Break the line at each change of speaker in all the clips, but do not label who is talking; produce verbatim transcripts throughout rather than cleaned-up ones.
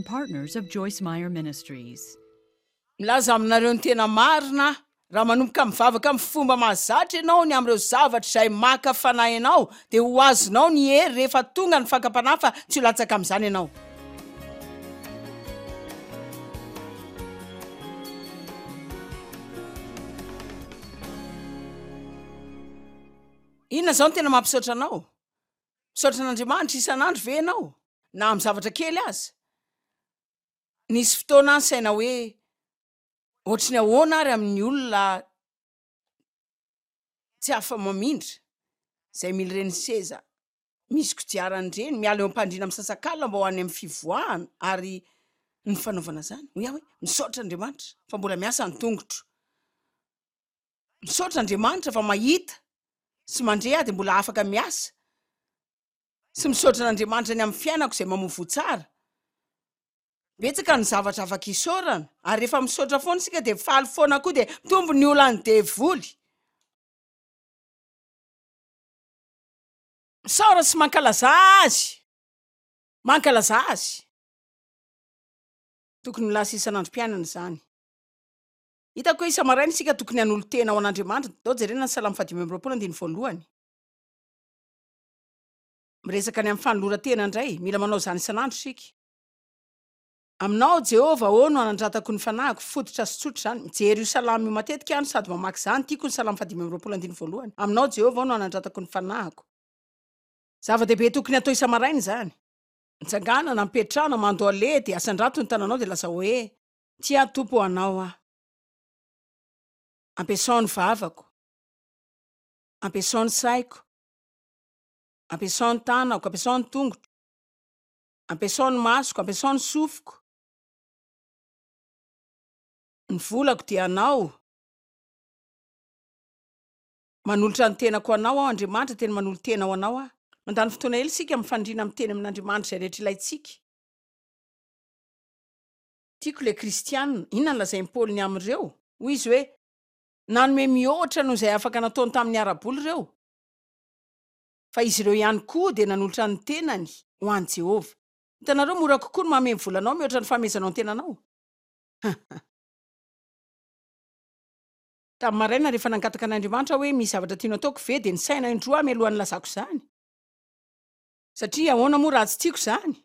Partners of Joyce Meyer Ministries.
Milaza aminareo ny tena marina aho, raha manomboka mivavaka amin'ny fomba mahazatra ianao ny amin'ireo zavatra izay maka fanahy anao, dia ho azonao ny hery rehefa tonga ny fakam-panahy fa tsy ho latsaka amin'izany ianao. Inona izao no tena mampisaotra anao? Misaotra an'Andriamanitra isan'andro ve ianao, na amin'ny zavatra kely aza? Nisy fotoana aho nisaina hoe, ohatry ny ahoana ary amin'ny olona tsy afa-mamindra, izay mila ireny seza misy kodiarana ireny, miala eo am-pandriana misasakalina mba ho any amin'ny fivoahana, ary ny fanaovana izany. Hoy aho hoe, misaotra Andriamanitra fa mbola miasa ny tongotro. Misaotra Andriamanitra fa mahita sy mandre aho dia mbola afaka miasa. Sy misaotra an'Andriamanitra ny amin'ny fiainako izay mamoa voa tsara. Betsaka ny zavatra afaka isaorana, ary rehefa misaotra foana isika dia faly foana koa dia mitombo ny olan'ny devoly. Misaora sy mankalazà Azy! Mankalazà Azy! Tokony ho lasa isan'androm-piainana izany. Hitako hoe isa-maraina isika tokony hanolo-tena ho an'Andriamanitra. Ndao jerena ny Salamo fahadimy amby roapolo andininy voalohany. Miresaka ny amin'ny fanoloran-tena indray. Mila manao izany isan'andro isika. Aminao, Jehovah ô, no anandratako ny fanahiko. Fototra sy tsotra izany. Mijery io salamo io matetika aho no sady mamaky izany. Tiako ny Salamo fahadimy amby roapolo andininy voalohany. Aminao, Jehovah ô, no anandratako ny fanahiko. Zava-dehibe tokony hatao isa-maraina izany. Mitsanganana, mipetrahana, mandohalea, dia asandrato ny tananao dia lazao hoe, Tia Tompo ô, Anao aho. Ampiasao ny vavako. Ampiasao ny saiko. Ampiasao ny tanako, ampiasao ny tongotro. Ampiasao ny masoko, ampiasao ny sofiko. Ny volako dia Anao. Manolotra ny tenako ho Anao aho, Andriamanitra, tena manolo-tena ho Anao aho. Mandany fotoana ela isika mifandrina miteny amin'Andriamanitra izay rehetra ilaintsika. Tiako ilay Kristiana. Inona no lazain'i Paoly ny amin'ireo? Hoy izy hoe, Nanome mihoatra noho izay afaka nataony tamin'ny ara-bola ireo. Fa izy ireo ihany koa dia nanolotra ny tenany ho an'i Jehovah. Hitanareo, mora kokoa ny manome ny volanao mihoatra ny fanomezanao ny tenanao. Tamin'ny maraina, rehefa nangataka an'Andriamanitra aho hoe misy zavatra tianao ataoko ve, dia nisaina indroa aho mialohan'ny nilazako izany. Satria ahoana moa raha tsy tiako izany?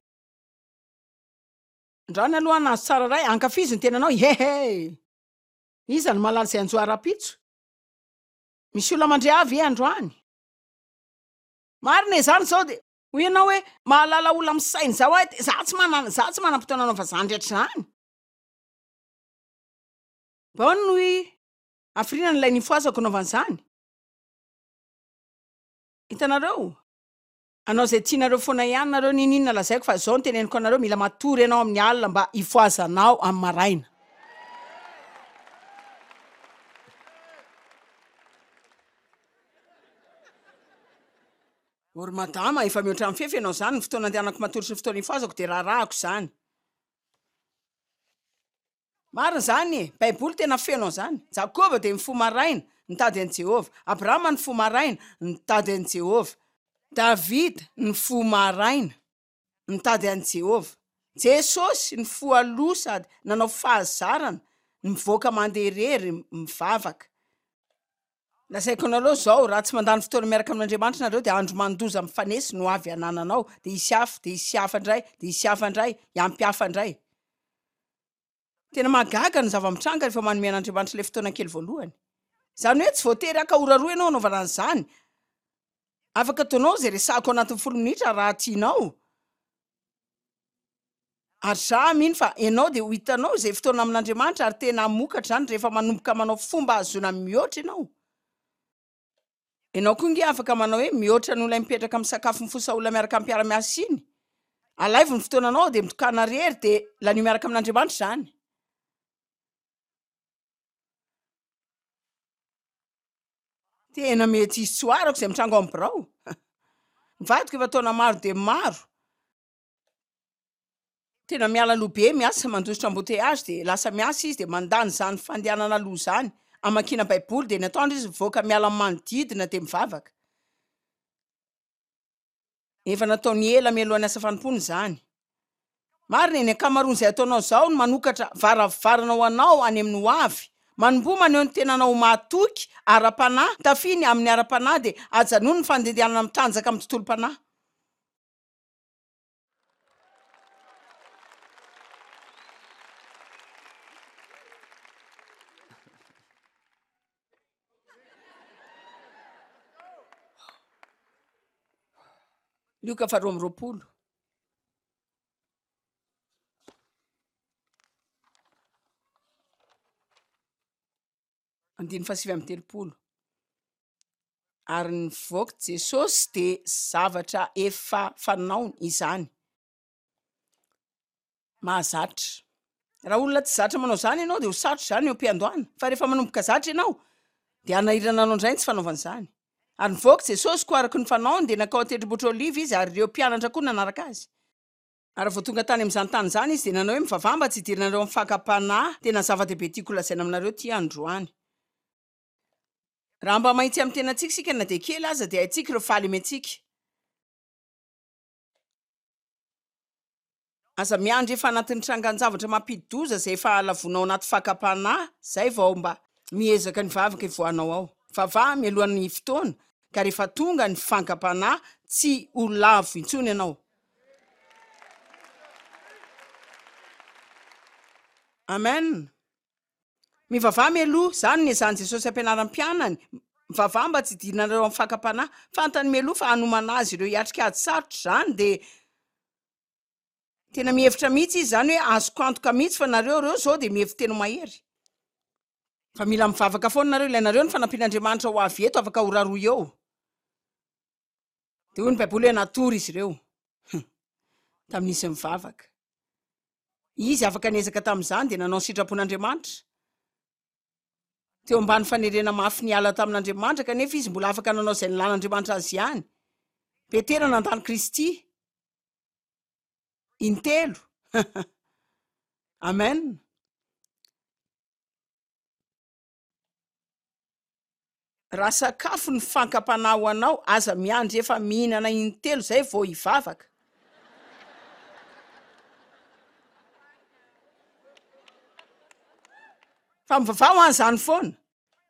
Androany aloha aho nahazo tsara iray, ankafizo ny tenanao, hehe! Iza no mahalala izay hanjo ahy rahampitso? Misy olona mandre ahy ve androany? Marina e, zany zao de hoy ianao hoe mahalala olona misaina izao aho de za tsy manana, za tsy manam-potoana hanaova zany rehetra zany. Bao no hafiriana n'ilay nifohazako hanaovana izany? Hitanareo? Hanao izay tianareo foana ihany nareo n'inon'inona lazaiko fa izao no teneniko anareo mila matory ianao amin'ny alina mba hifohazanao amin'ny maraina. O ry madama, efa mihoatra ny fefy ianao izany, ny fotoana andehanako matory sy ny fotoana ifohazako dia raharahako izany. Marina izany e! Baiboly tena feno an'izany. Jakoba dia nifoha maraina, nitady an'i Jehovah. Abrahama nifoha maraina, nitady an'i Jehovah. Davida nifoha maraina, nitady an'i Jehovah. Jesosy nifoha aloha sady nanao fahazarana ny mivoaka mandeha irery mivavaka. Lazaiko anareo izao, raha tsy mandany fotoana miaraka amin'Andriamanitra nareo dia andro mandoza mifanesy no avy hanananao, dia hisy hafa, dia hisy hafa indray, dia hisy hafa indray, hiampy hafa indray. Tena mahagaga ny zava-mitranga rehefa manome an'Andriamanitra ilay fotoana kely voalohany. Izany hoe tsy voatery haka ora roa ianao hanaovana an'izany. Afaka ataonao izay resahako anatin'ny folo minitra raha tianao. Ary za mino fa enao dia ho hitanao izay fotoana amin'Andriamanitra ary tena hamokatra izany rehefa manomboka manao fomba ahazoana mihoatra ianao. Enao koa nge afaka manao hoe mihoatra noho ilay mipetraka misakafo mifosa olona miaraka amin'ny mpiara-miasa iny. Alaivo ny fotoananao dia mitokàna rery dia lanio miaraka amin'Andriamanitra izany. Tena mety hisy tsy ho arako izay mitranga ao amin'ny birao. Ny vadiko efa taona maro dia maro. Tena miala aloha be miasa, mandositra embouteillage dia lasa miasa izy dia mandany izany fandehanana aloha izany hamakiana baiboly dia ny atoandro izy mivoaka miala amin'ny manodidina dia mivavaka. Efa nataony ela mialohan'ny asa fanompoana izany. Marina e, ny ankamaroan'izay ataonao izao no manokatra varavarana ho anao any amin'ny ho avy. Manomboha maneho ny tenanao ho mahatoky ara-panahy, tafia ny amin'ny ara-panahy dia ajanony ny fandehandehanana mitanjaka amin'ny tontolom-panahy. Lioka faharoa amby roapolo. Andininy fahasivy amby telopolo. Ary nivoaka Jesosy dia zavatra efa fanaony izany. Mahazatra. Raha olona tsy zatra manao izany ianao dia ho sarotra izany eo am-piandohana. Fa rehefa manomboka zatra ianao dia hanahirana anao indray ny tsy fanaovana izany. Ary nivoaka Jesosy, koa araka ny fanaony dia nankao an-tendrombohitra Oliva izy, ary ireo mpianatra koa nanaraka azy. Ary raha vao tonga tany amin'izany tany izany izy dia nanao hoe, Mivavaha mba tsy hidiranareo amin'ny fakam-panahy. Tena zava-dehibe tiako holazaina aminareo ity androany. Raha mba mahitsy amin'ny tenantsika isika na dia kely aza dia haintsika ireo fahalementsika. Aza miandry efa anatin'ny trangan-javatra mampidi-doza izay efa halavonao anaty fakam-panahy izay vao mba miezaka ny vavaka hivoahanao ao. Vavaha mialohan'ny fotoana ka rehefa tonga ny fankam-panahy tsy ho lavo intsony ianao. Amen. Mivavaha mialoha, izany no niezahan'i Jesosy hampianarany mpianany, mivavaha mba tsy hidiranareo amin'ny fakam-panahy. Fantany mialoha fa hanomana azy ireo hiatrika ady sarotra izany dia tena mihevitra mihitsy izy izany hoe azoko antoka mihitsy fa nareo ireo izao dia mihevi-tena ho mahery. Fa mila mivavaka foana nareo, ilainareo ny fanampian'Andriamanitra ho avy eto afaka ora roa eo. Dia hoy ny Baiboly hoe natory izy ireo tamin'izy nivavaka. Izy afaka niezaka tamin'izany dia nanao ny sitrapon'Andriamanitra. Teo ambany fanerena mafy niala tamin'Andriamanitra kanefa izy mbola afaka nanao izay nilan'Andriamanitra azy ihany. Petera nandà an'i Kristy intelo. Amen. Raha sakafo ny fankam-panahy ho anao, aza miandry efa mihinana intelo izay vao hivavaka. Fa mivavaha ho an'izany foana.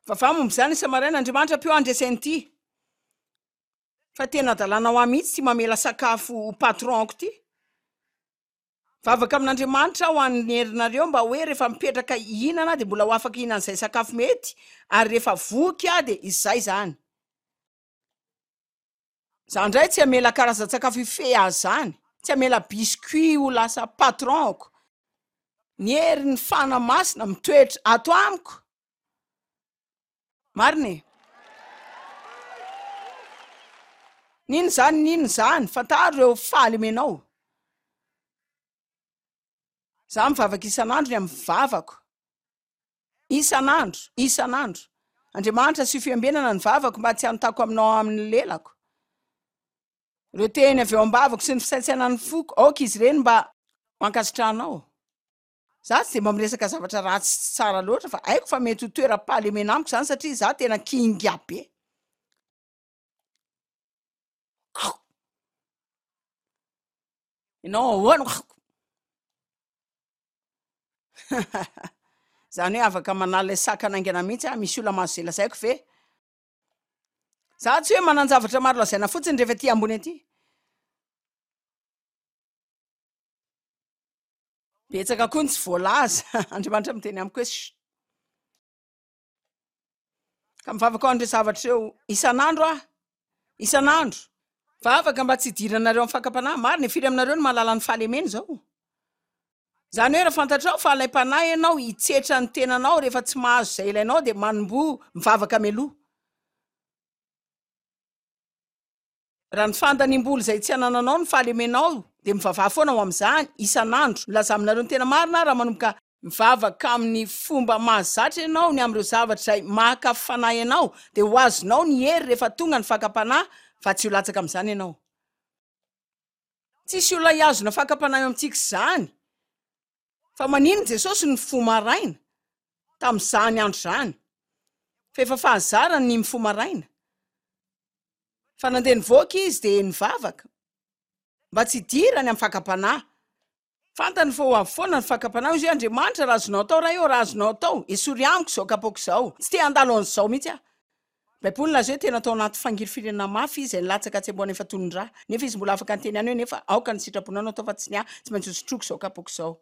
Mivavaha momba izany isa-maraina, Andriamanitra ampio ahy handresy an'ity. Fa tena hadalana ho ahy mihitsy ity mamela sakafo ho patron-ko ity. Mivavaka amin'Andriamanitra aho han'ny herinareo mba hoe rehefa mipetraka hihinana aho dia mbola ho afaka hihinana izay sakafo mety ary rehefa voky aho dia izay izany. Za indray tsy hamela karazan-tsakafo hifehy ahy izany, tsy hamela biscuit ho lasa patron-ko. Ny herin'ny Fanahy Masina mitoetra ato amiko. Marina e! N'inona izany n'inona izany, fantaro ireo fahalemenao. Za mivavaka isan'andro ny amin'ny vavako. Isan'andro, isan'andro. Andriamanitra asio fiambenana ny vavako mba tsy hanontako aminao amin'ny lelako. Ireo teny avy eo am-bavako sy ny fisaintsainan'ny foko, aoka izy ireny mba ho ankasitrahanao. Za tsy dia mba miresaka zavatra ratsy sy tsy tsara loatra fa haiko fa mety ho toeram-pahalemena amiko izany satria za tena kinga be. Ianao ahoana? Izany hoe afaka manala ilay sakana haingana mihitsy aho, misy olona mahazo izay lazaiko ve? Za tsy hoe manan-javatra maro lazaina fotsiny rehefa aty ambony aty. Betsaka koa ny tsy voalaza. Andriamanitra miteny amiko hoe chut. Ka mivavaka ho an'ireo zavatra ireo isan'andro aho. Isan'andro. Vavaka mba tsy hidiranareo amin'ny fakam-panahy. Marina e, firy aminareo no mahalala ny fahalemena izao? Izany hoe raha fantatrao fa alaim-panahy ianao hitsetra ny tenanao rehefa tsy mahazo izay ilainao dia manomboha mivavaka mialoha. Raha ny fandaniam-bola izay tsy anananao ny fahalemenao dia mivavaha foana ho amin'izany isan'andro. Milaza aminareo ny tena marina aho, raha manomboka mivavaka amin'ny fomba mahazatra ianao ny amin'ireo zavatra izay maka fanahy anao dia ho azonao ny hery rehefa tonga ny fakam-panahy fa tsy ho latsaka amin'izany ianao. Tsisy olona hihazona fakam-panahy eo amintsika izany. Fa maninona Jesosy nifoha maraina tamin'izany andro izany? Fa efa fahazarany ny mifoha maraina. Fa nandeha nivoaka izy dia nivavaka mba tsy hidirany amin'ny fakam-panahy. Fantany fa ho avy foana ny fakam-panahy. Hoy izy hoe, Andriamanitra, raha azonao atao, Ray ô, raha azonao atao, esory amiko izao kapoaka izao. Tsy te handalo an'izao mihitsy aho. Baiboly nilaza hoe tena tao anaty fangirifiriana mafy izy, izay nilatsaka hatsembohana efa toy ny ra. Nefa izy mbola afaka niteny ihany hoe, Nefa aoka ny sitraponao no atao fa tsy ny ahy, tsy maintsy hosotroiko izao kapoaka izao.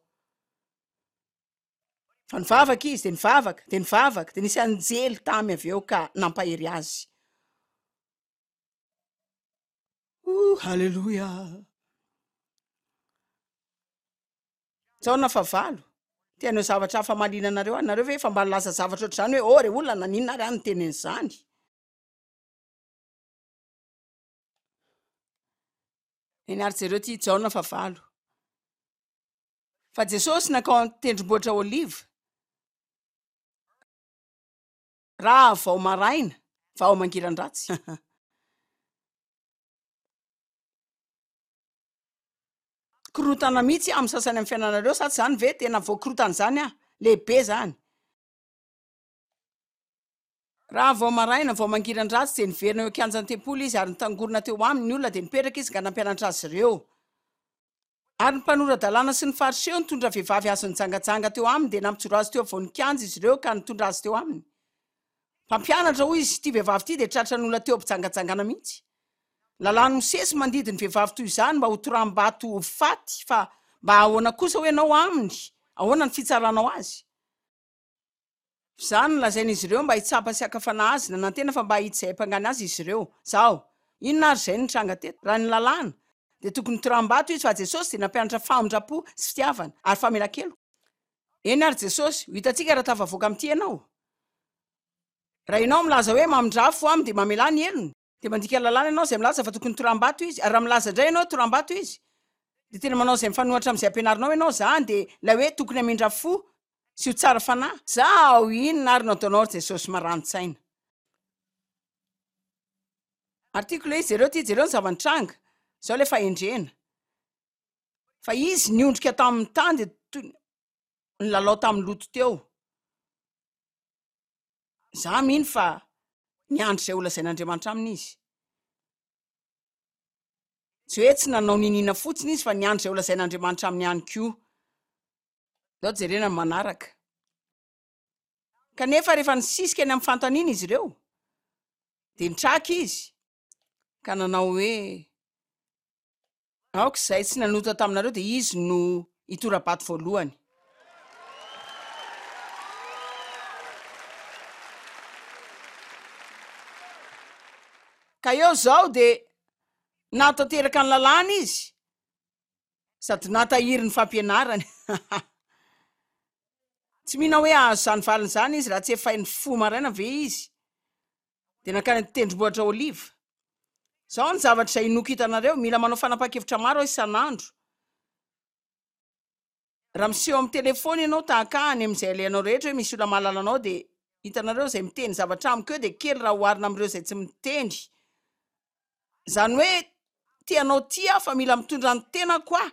Fa nivavaka izy, dia nivavaka, dia nivavaka, dia nisy anjely tamy avy eo ka nampahery azy. Oh, haleloia! Jaona fahavalo, te haneho zavatra hafa mahaliana anareo aho. Nareo ve efa mba nilaza zavatra ohatr'izany hoe, Oh, re olona, naninona ary aho niteny an'izany? Eny ary, jereo ity Jaona fahavalo. Fa Jesosy nankao an-tendrombohitra Oliva, raha vao maraina, vao mangiran-dratsy. Korontana mihitsy amin'ny sasany amin'ny fiainanareo, sa tsy izany ve? Tena voakorontana izany aho. Lehibe izany. Raha vao maraina, vao mangiran-dratsy, dia niverina eo an-kianjan'ny tempoly izy, ary nitangorona teo aminy ny olona, dia nipetraka izy ka nampianatra azy ireo. Ary ny mpanora-dalàna sy ny Fariseo nitondra vehivavy azo nijangajanga teo aminy, dia nampijoro azy teo afovoan'ny kianja izy ireo ka nitondra azy teo aminy. Mpampianatra, hoy izy, ity vehivavy ity dia tratran'olona teo am-pijangajangana mihitsy. Ny lalàn'i Mosesy mandidy ny vehivavy toy izany mba hotoraham-bato ho faty, fa mba ahoana kosa hoy ianao aminy? Ahoana ny fitsaranao azy? Izany no lazain'izy ireo mba hitsapa sy haka fanahy azy, nanantena fa mba hahita izay hampangany azy izy ireo. Zaho, inona ary izay nitranga teto? Raha ny lalàna, dia tokony hotoraham-bato izy, fa Jesosy dia nampianatra famindram-po sy fitiavana ary famelan-keloka. Eny ary Jesosy, ho hitantsika raha tafavoaka amin'ity ianao. Raha ianao milaza hoe mamindrà fo aminy dia mamelà ny helony, dia mandika lalàna ianao izay milaza fa tokony toram-bato izy, ary raha milaza indray ianao hoe toram-bato izy, dia tena manao izay mifanohitra amin'izay ampianarinao ianao, izany dia ilay hoe tokony hamindra fo sy ho tsara fanahy. Zaho, inona ary no ataonao ry Jesosy marani-tsaina? Ary tiako ilay izy, jereo ity, jereo ny zava-nitranga, izao ilay fahendrena. Fa izy niondrika tamin'ny tany dia toy ny nilalao tamin'ny loto teo. Izaho mino fa niandry izay holazain'Andriamanitra aminy izy. Tsy hoe tsy nanao niniana fotsiny izy fa niandry izay holazain'Andriamanitra aminy ihany koa. Ndao jerena ny manaraka. Kanefa rehefa nisisika ny amin'ny fanontaniana izy ireo, dia nitraka izy ka nanao hoe, Aoka izay tsy nanota taminareo dia izy no hitora-bato voalohany. Ka eo izao dia nahatanteraka ny lalàna izy sady nahatahiry ny fampianarany. Tsy mino aho hoe hahazo izany valiny izany izy raha tsy efa nifoha maraina ve izy dia nankany an-tendrombohitra Oliva. Izao ny zavatra izay inoako hitanareo, mila manao fanapahan-kevitra maro aho isan'andro. Raha miseho amin'ny telefaony ianao tahaka ahy any amin'izay alehanao rehetra hoe misy olona mahalala anao dia hitanareo izay miteny zavatra amiko eo dia kely raha oharina amin'ireo izay tsy miteny. Izany hoe te hanao tia aho fa mila mitondra ny tenako aho.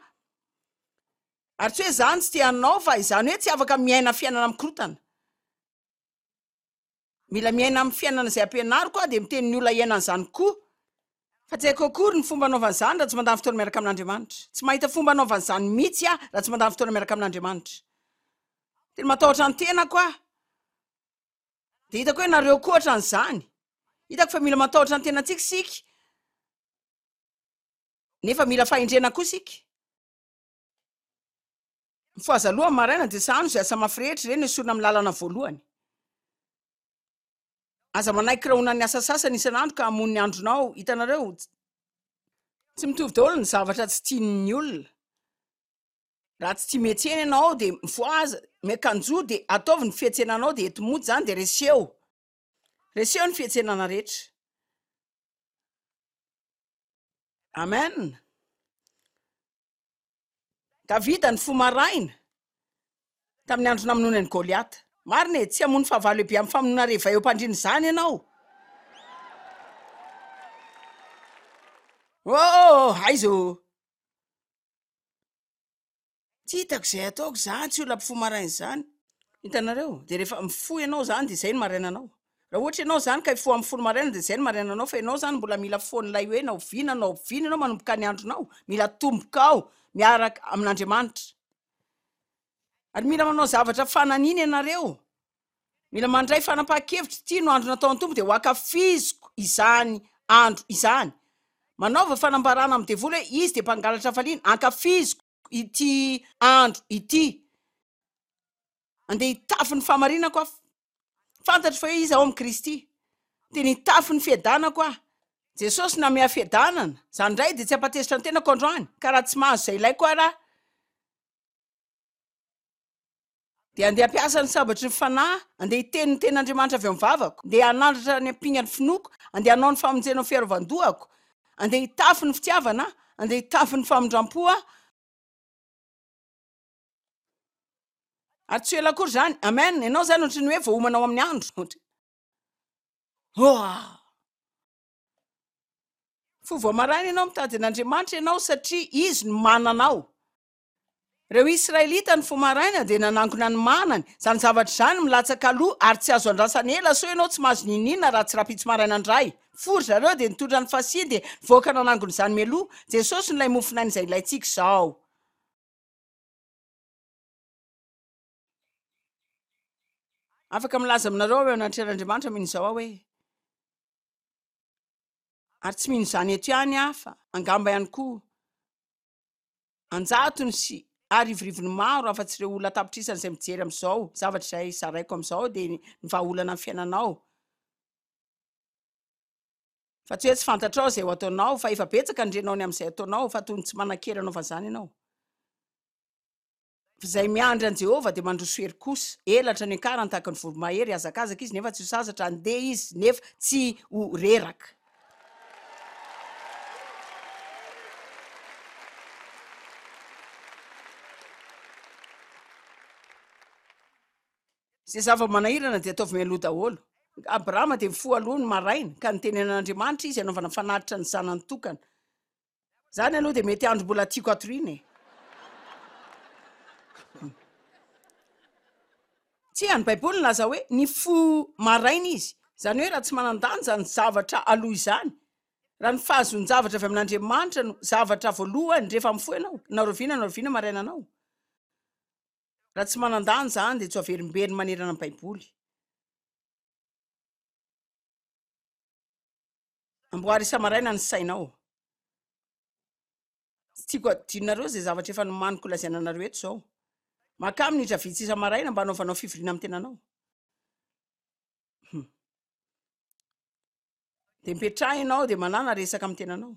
Ary tsy hoe izany tsy te hanao fa izany hoe tsy afaka miaina fiainana mikorotana. Mila miaina amin'ny fiainana izay ampianariko aho dia miteny ny olona hiaina an'izany koa. Fa tsy haiko akory ny fomba anaovana izany raha tsy mandany fotoana miaraka amin'Andriamanitra. Tsy mahita fomba anaovana izany mihitsy aho raha tsy mandany fotoana miaraka amin'Andriamanitra. Tena matahotra ny tenako aho. Dia hitako hoe nareo koa ohatran'izany. Hitako fa mila matahotra ny tenantsika isika, nefa mila fahendrena koa isika. Mifohaza aloha amin'ny maraina dia sahano izay asa mafy rehetra, ireny esorina amin'ny lalana voalohany. Aza manaiky rahonan'ny asa sasany isan'andro ka hamono ny andronao. Hitanareo, tsy mitovy daholo ny zavatra tsy tian'ny olona. Raha tsy tia miantsena ianao dia mifohaza, miakanjoa dia ataovy ny fiantsenanao dia ento mody izany dia reseo. Reseo ny fiantsenana rehetra. Amen. Davida nifoha maraina, tamin'ny andro namonoany an'i Goliata. Marina e, tsy hamono fahavalo lehibe amin'ny famonoana reva eo am-pandriana izany ianao. Oh, aiza ô! Tsy hitako izay ataoko izany, tsy olona mpifoha maraina izany. Hitanareo? Dia rehefa mifoha ianao izany dia izay no marainanao. Raha ohatra ianao izany ka hifoha amin'ny folo maraina dia izay no marainanao fa ianao izany mbola mila foan'ilay hoe na oviana na oviana ianao manomboka ny andronao, mila atomboka ao miaraka amin'Andriamanitra. Ary mila manao zavatra fananina ianareo. Mila mandray fanapahan-kevitra, ity no andro nataon'ny Tompo, dia ho ankafiziko izany andro izany. Manaova fanambarana amin'ny devoly hoe izy dia mpangalatra hafaliana, ankafiziko ity andro ity. Andeha hitafy ny fahamarinako aho. Fantatro fa hoe iza aho amin'i Kristy. Tena hitafy ny fiadanako aho. Jesosy namehy fiadanana. Izany indray dia tsy hampatezitra ny tenako androany, ka raha tsy mahazo izay ilaiko aho raha, dia andeha hampiasa ny sabatry ny fanahy, andeha hiteny ny tenin'Andriamanitra avy ao amin'ny vavako, andeha hanandratra ny ampingan'ny finoako, andeha hanao ny famonjena ho fiarovan-dohako, andeha hitafy ny fitiavana aho, andeha hitafy ny famindram-po aho. Ary tsy ho ela akory izany. Amen. Ianao izany ohatry ny hoe voaomana ao amin'ny andro. Oa! Fo vao maraina ianao mitady an'Andriamanitra ianao satria Izy no manana ao. Ireo Israelita nifoha maraina dia nanangona ny manany. Izany zavatra izany milatsaka aloha ary tsy azo andrasana ela sao ianao tsy mahazo n'inon'inona raha tsy rahampitso maraina indray. Nifoha ry zareo dia nitondra ny fasiany dia nivoaka nanangona izany mialoha. Jesosy no ilay mofon'aina izay ilaintsika izao. Afaka milaza aminareo aho eo anatrehan'Andriamanitra mino izao aho hoe, ary tsy mino izany eto ihany aho fa angamba ihany koa an-jatony sy arivorivony maro afa-tsy ireo olona an-tapitrisany izay mijery amin'izao zavatra izay zaraiko amin'izao dia ny vahaolana amin'ny fiainanao. Fa tsy hoe tsy fantatrao izay ho ataonao fa efa betsaka ny renao ny amin'izay ataonao fa toy ny tsy manan-kery hanaovana izany ianao. Fa izay miandry an'i Jehovah dia mandroso hery kosa. Elatra ny ankarany tahaka ny voromahery, hihazakazaka izy nefa tsy ho sasatra, handeha izy nefa tsy ho reraka. Izay zava-manahirana dia ataovy mialoha daholo. Abrahama dia nifoha aloha ny maraina, ka nitenenan'Andriamanitra izy hanaovana fanatitra ny zanany tokana. Zany aloha dia mety andro mbola tiako hatoriana e. Tsia, ny Baiboly nilaza hoe nifoha maraina izy. Izany hoe raha tsy manan-danja ny zavatra aloha izany, raha ny fahazoan-javatra avy amin'Andriamanitra no zavatra voalohany rehefa mifoha ianao, na rahoviana na rahoviana maraina anao. Raha tsy manan-danja izany dia tsy ho averimberiny manerana ny Baiboly. Amboary isa-maraina ny sainao. Tsy tiako hadinonareo izay zavatra efa nomaniko lazaina anareo eto izao. Makà minitra vitsy isa-maraina mba hanaovanao fivoriana amin'ny tenanao. Hmm. Dia mipetraha ianao dia manàna resaka amin'ny tenanao.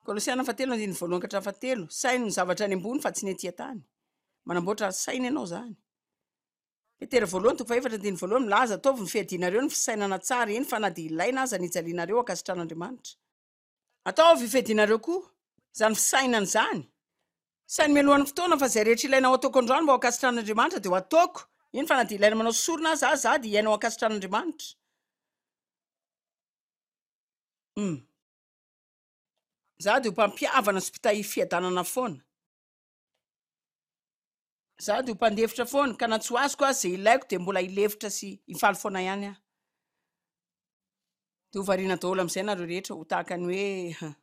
Kolosiana fahatelo andininy voalohany ka hatramin'ny fahatelo. Saino ny zavatra any ambony fa tsy ny ety an-tany. Manamboatra saina ianao izany. Petera voalohany toko fahefatra andininy voalohany milaza, Ataovy ny fiadianareo ny fisainana tsara, eny fa na dia ilaina aza ny hijalianareo hankasitran'Andriamanitra. Ataovy fiadianareo koa izany fisainana izany. Saino mialohan'ny fotoana fa izay rehetra ilaina ho ataoko androany mba ho ankasitran'Andriamanitra dia ho ataoko, eny fa na dia ilaina manao sorona aza aza dia hiaina ho ankasitran'Andriamanitra. Hum. Izaho dia ho mpampihavana sy mpitahiry fiadanana foana. Izaho dia ho mpandefitra foana, ka na tsy ho azoko aza izay ilaiko dia mbola hilefitra sy hifaly foana ihany aho. Dia ho variana daholo amin'izay nareo rehetra, ho tahaka ny hoe.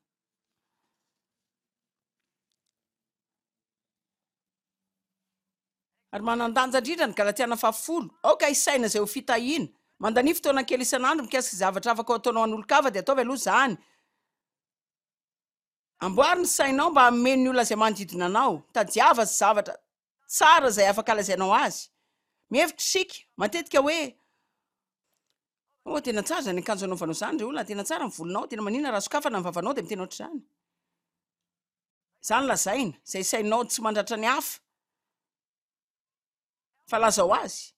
Ary manan-danja indrindra ny Galatiana fahafolo, Aoka hisaina izay ho fitahiana. Mandania fotoana kely isan'andro mikasika izay zavatra afaka ho ataonao an'olon-kafa dia ataovy aloha izany. Amboary ny sainao mba hameno ny olona izay manodidina anao. Tadiava zavatra tsara izay afaka lazainao azy. Mihevitra isika matetika hoe, Oh, tena tsara izany akanjo anaovanao izany ry olona, tena tsara ny volonao, tena maninona raha sokafana ny vavanao dia miteny ohatr'izany. Izany lazaina, izay sainao tsy mandratra ny hafa, fa lazao azy.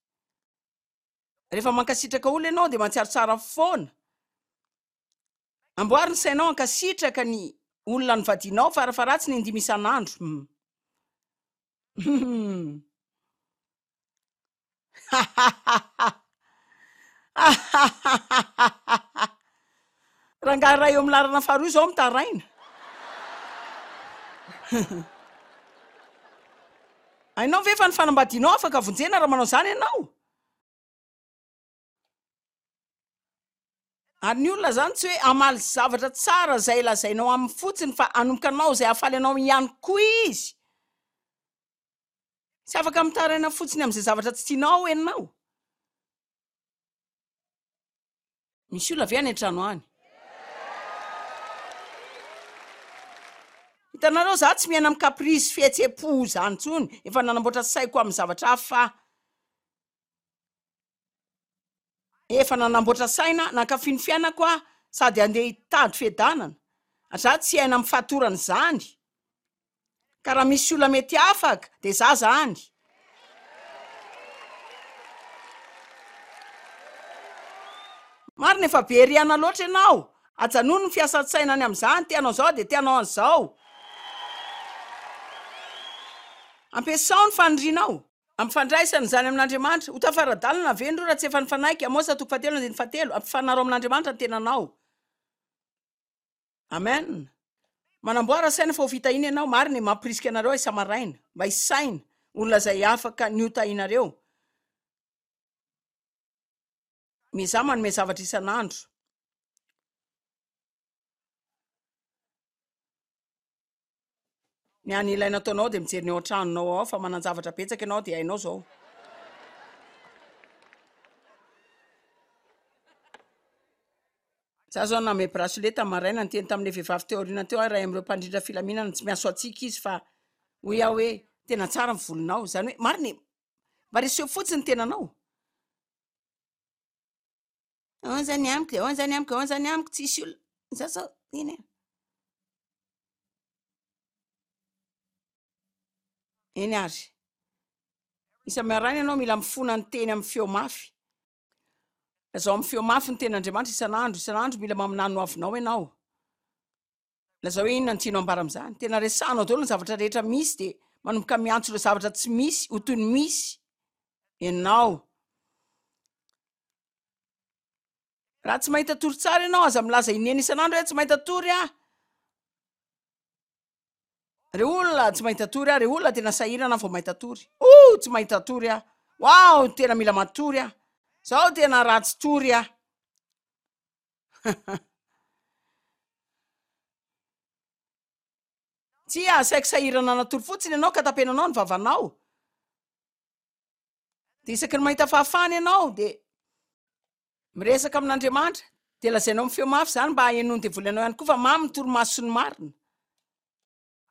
Rehefa mankasitraka olona ianao dia mahatsiaro tsara foana. Amboary ny sainao hankasitraka ny olona nivadianao farafaharatsiny indimy isan'andro. Hum. Hum. Rangahy iray eo amin'ny laharana faharoa izao mitaraina. Hainao ve fa ny fanambadianao afaka vonjena raha manao izany ianao? Ary ny olona izany tsy hoe hamaly zavatra tsara izay lazainao aminy fotsiny fa hanomboka hanao izay hahafaly anao ihany koa izy. Tsy afaka mitaraina fotsiny amin'izay zavatra tsy tianao ianao. Misy olona ve any an-trano any? Hitanareo, za tsy miaina amin'ny caprice fihetseham-po izany intsony. Efa nanamboatra saiko amin'ny zavatra hafa aho. Efa nanamboatra saina nankafy ny fiainako aho sady handeha hitady fiadanana. Za tsy hiaina amin'ny fatorana izany. Ka raha misy olona mety afaka dia za zany. Marina, efa be rihana loatra ianao. Ajanony ny fiasan-tsaina any amin'izany, te hanao izao dia te hanao an'izao. Ampiasao ny fanirianao. Ampifandraisana izany amin'Andriamanitra. Ho tafara-dalana ve ny roa raha tsy efa nifanaiky? Amosa toko fahatelo andininy fahatelo. Ampifanaro amin'Andriamanitra ny tenanao. Amen. Manamboara saina fa ho fitahiana ianao. Marina e, mampirisika anareo aho isa-maraina mba hisaina olona izay afaka ny ho tahianareo. Miezaha manome zavatra isan'andro. Ny hany ilaina ataonao dia mijery ny ao an-tranonao ao fa manan-javatra betsaka ianao dia hainao izao. Za zao nanome bracelet tamin'ny maraina, niteny tamin'ilay vehivavy teo aoriana teo aho, iray amin'ireo mpandrindra filaminana, tsy miaso antsika izy fa hoy aho hoe tena tsara ny volonao, izany hoe marina e, mba reseho fotsiny ny tenanao. Ahoana izany amiko, ahoana izany amiko, ahoana izany amiko, tsisy olona, za zao, eny e. Eny ary. Isa-maraina ianao mila mifona ny teny amin'ny feo mafy. Lazao amin'ny feo mafy ny tenin'Andriamanitra isan'andro, isan'andro mila maminany ny hoavinao ianao. Lazao hoe inona no tianao ambara amin'izany. Tena resahanao daholo ny zavatra rehetra misy dia manomboka miantso ireo zavatra tsy misy ho toy ny misy ianao. Raha tsy mahita tory tsara ianao, aza milaza inena isan'andro hoe tsy mahita tory aho. Ry olona, tsy mahita tory aho, ry olona, tena sahirana aho vao mahita tory. Oh, tsy mahita tory aho. Wow, tena mila matory aho. Zao tena ratsy tory aho. Tsia, asaiko sahirana natory fotsiny ianao ka tapenanao ny vavanao. Dia isaky ny mahita fahafahana ianao dia miresaka amin'Andriamanitra, dia lazainao amin'ny feo mafy izany mba hahenoan'ny devoly anao ihany koa fa mamy ny torimason'ny marina.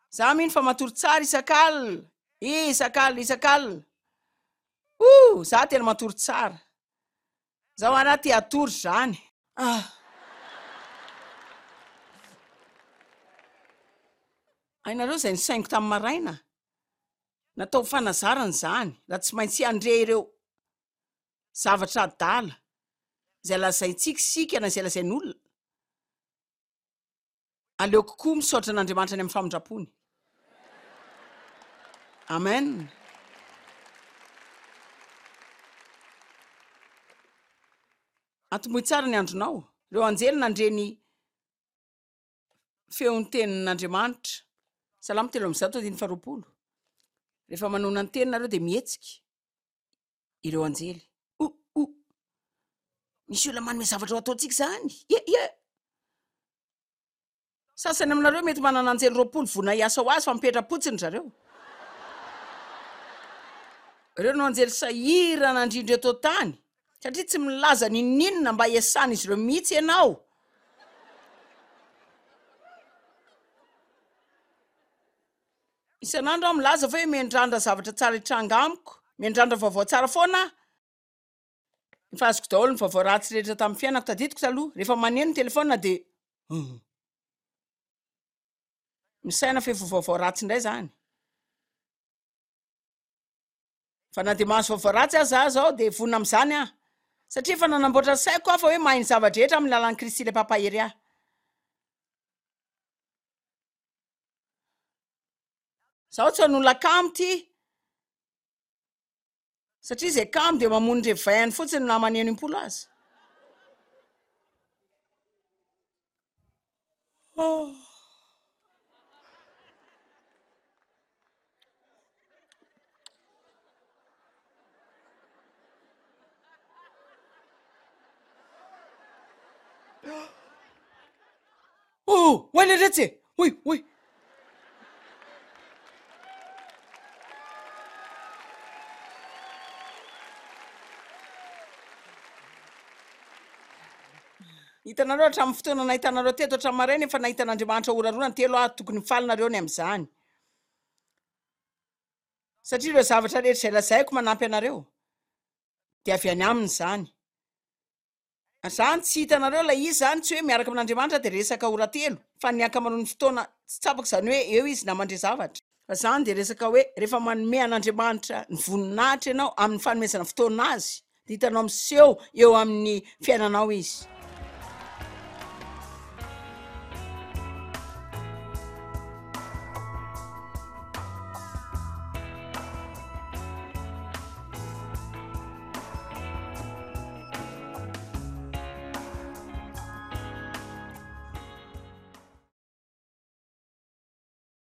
Za mino fa matory tsara isak'alina, isak'alina, isak'alina. Ouh, za tena matory tsara. Zao ary aho te hatory izany. Ah. Hainareo izay nisainiko tamin'ny maraina? Natao ho fanazarana izany, raha tsy maintsy handre ireo zavatra adala izay lazaintsika isika na izay lazain'olona. Aleoko koa misaotra an'Andriamanitra any amin'ny famindrampony. Amen. Atombohy tsara ny andronao. Ireo anjely nandre ny feon'ny tenin'Andriamanitra. Salamo telo amby zato andininy faharoapolo. Rehefa manona ny teny nareo dia mihetsika ireo anjely. O o. Misy olona manome zavatra ho ataontsika izany. Ie ie. Sasany aminareo mety manana anjely roapolo vonona hiasa ho azy fa mipetra-potsiny ry zareo. Ireo no anjely sahirana indrindra eto an-tany satria tsy milaza n'inon'inona mba hiasan'izy ireo mihitsy ianao. Isan'andro aho milaza fa hoe miandrandra zavatra tsara hitranga amiko, miandrandra vaovao tsara foana aho. Efa azoko daholo ny vaovao ratsy rehetra tamin'ny fiainako, tadidiko taloha, rehefa maneno ny telefaonina dia misaina fa efa vaovao ratsy indray izany. Fa na dia mahazo vaovao ratsy aza aho izao dia vonona amin'izany aho. Satria efa nanamboatra ny saiko aho fa hoe mahay ny zava-drehetra amin'ny lalan'i Kristy ilay Mpampahery ahy. Izaho tsy hanolana kamo ity. Satria izay kamo dia mamono ny reveil-ny fotsiny na maneno impolo aza. Oh. Oh, oay le retsy e! Oy, oy. Hitanareo, hatramin'ny fotoana nahitanareo teto hatramin'ny maraina, efa nahita an'Andriamanitra ora roa na telo aho. Tokony mifaly nareo ny amin'izany, satria ireo zavatra rehetra izay lazaiko manampy anareo de avy any aminy zany. Zany tsy hitanareo ilay izy zany, tsy hoe miaraka amin'Andriamanitra de resaka ora telo, fa ny ankamaroan'ny fotoana tsy tsapako zany hoe eo izy na mandre zavatra. Fa zany de resaka hoe rehefa manome an'Andriamanitra ny voninahitra ianao amin'ny fanomezana fotoana azy, de hitanao miseho eo amin'ny fiainanao izy.